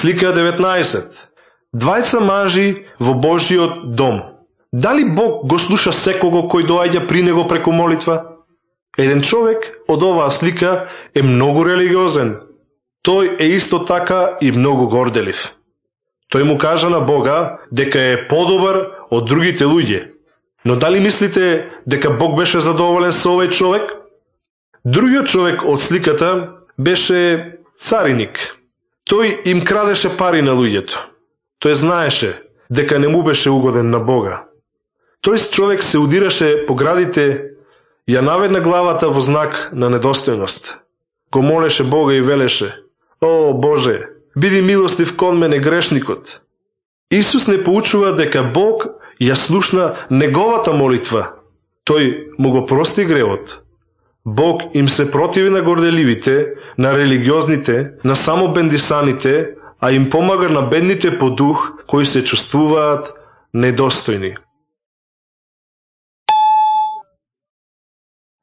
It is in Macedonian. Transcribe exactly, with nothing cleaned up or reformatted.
Слика деветнаесет. Двајца мажи во Божиот дом. Дали Бог го слуша секого кој доаѓа при него преку молитва? Еден човек од оваа слика е многу религиозен. Тој е исто така и многу горделив. Тој му кажа на Бога дека е подобар од другите луѓе. Но дали мислите дека Бог беше задоволен со овој човек? Другиот човек од сликата беше цариник. Тој им крадеше пари на луѓето. Тој знаеше дека не му беше угоден на Бога. Тој човек се удираше по градите, ја наведна главата во знак на недостојност. Го молеше Бога и велеше: "О, Боже, биди милостив кон мене грешникот." Исус не поучува дека Бог ја слушна неговата молитва. Тој му го прости гревот. Бог им се противи на горделивите, на религиозните, на самобендисаните, а им помага на бедните по дух, кои се чувствуваат недостојни.